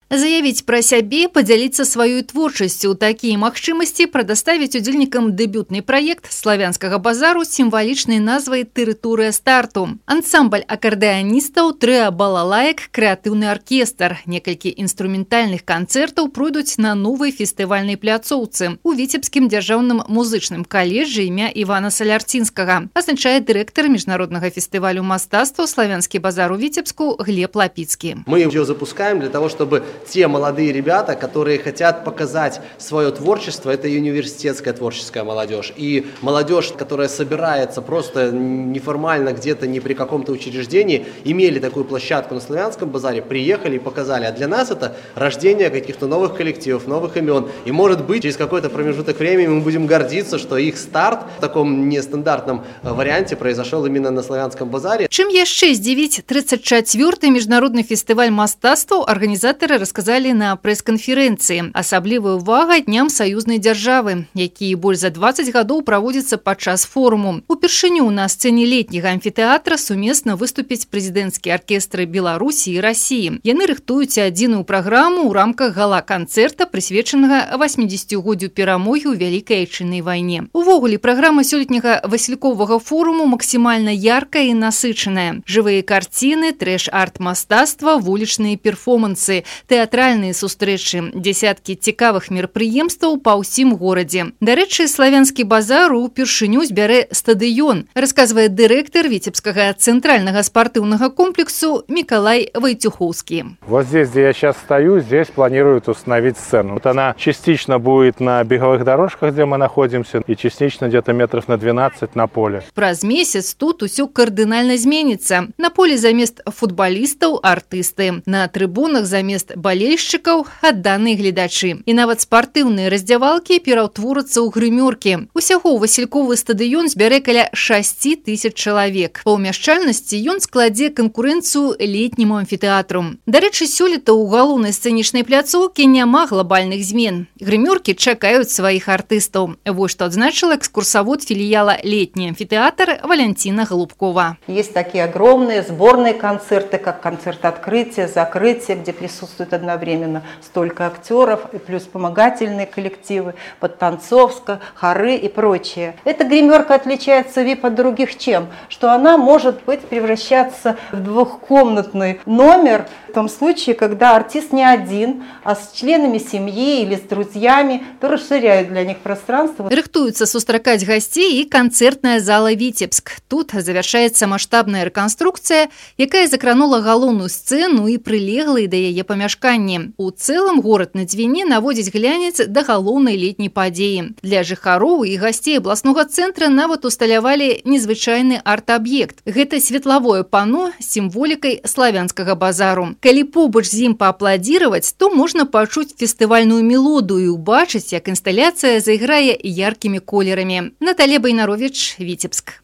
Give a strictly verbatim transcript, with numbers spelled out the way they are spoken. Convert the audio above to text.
Заявіць пра сябе, падзяліцца сваёй творчасцю. Такія магчымасці прадаставіць удзельнікам дэбютны праект славянскага базару з сімвалічнай назвай «Тэрыторыя старту». Ансамбль акардэаністаў, трыа балалаек, крэатыўны аркестр. Некалькі інструментальных канцэртаў пройдуць на новай фестывальнай пляцоўцы у Віцебскім дзяржаўным музычным каледжы імя Івана Салярцінскага, азначае дырэктар міжнароднага фестывалю мастацтва «Славянскі базар» у Віцебску Глеб Лапіцкі. Мы ее запускаем для того, чтобы те молодые ребята, которые хотят показать свое творчество, это и университетская творческая молодежь, и молодежь, которая собирается просто неформально где-то, не при каком-то учреждении, имели такую площадку на Славянском базаре, приехали и показали. А для нас это рождение каких-то новых коллективов, новых имен. И может быть, через какой-то промежуток времени мы будем гордиться, что их старт в таком нестандартном варианте произошел именно на Славянском базаре. Чым яшчэ здзівіць тридцать четвёрты міжнародны фестываль мастацтваў арганізатары расказалі на прэс-канферэнцыі. Асаблівая ўвага дням саюзнай дзяржавы, якія больш за двадцать гадоў праводзяцца падчас форуму. Упершыню на сцэне летняга амфітэатра сумесна выступіць прэзідэнцкія аркестры Беларусі і Расіі. Яны рыхтуюць адзіную праграму ў рамках гала-канцэрта, прысвечанага восьмідзесяцігоддзю перамогі ў Вялікай Айчыннай вайне. Увогуле, праграма сёлетняга васільковага форуму максімальна яркая і насычаная. Жывыя карціны, трэш-арт мастацтва, вулічныя перформансы, тэатральныя сустрэчы, дзесяткі цікавых мерапрыемстваў па ўсім горадзе. Дарэчы, славянскі базар упершыню збярэ стадыён, расказвае дырэктар Віцебскага цэнтральнага спартыўнага комплексу Миколай Войтюховский. Вот здесь, где я сейчас стою, здесь планируют установить сцену. Вот она частично будет на беговых дорожках, где мы находимся, и частично где-то метров на двенадцать на поле. Праз месяц тут усё кардынальна зменіцца. На поле замест футбалістаў артысты, на трыбунах замест балельшчыкаў адданыя гледачы. І нават спартыўныя раздзявалкі пераўтворацца ў грымёркі. Усяго васільковы стадыён збярэ каля шасці тысяч чалавек. Па ўмяшчальнасці ён складзе канкурэнцыю летняму амфітэатру. Дарэчы, сёлета ў галоўнай сцэнічнай пляцоўкі няма глобальных змен. Грымёркі чакаюць сваіх артыстаў. Вось што адзначыла экскурсавод філіяла «Летний амфитеатр» Валентина Голубкова. Есть такие огромные сборные концерты, как концерт открытия, закрытия, где присутствует одновременно столько актеров, и плюс вспомогательные коллективы, подтанцовка, хоры и прочее. Эта гримерка отличается вип от других чем? Что она может быть превращаться в двухкомнатный номер в том случае, когда артист не один, а с членами семьи или с друзьями, то расширяют для них пространство. Рыхтуются сустракаць гостей и концертная зала «Витебск». Тут завершается масштабная реконструкция, якая закранула галоўную сцену и прилеглые до яе памяшканні. У цэлым город на Двине наводзіць глянец да галоўнай летняй падзеі. Для жыхароў и гостей областного центра нават усталявалі незвычайны арт-аб'ект. Гэта светлавое пано с символикой славянскага базару. Калі побач з ім паапладзіраваць, то можна пачуць фестывальную мелодию и убачыць, як інсталяцыя заіграе яркімі колерамі. Наталья Байнарович, Витебск.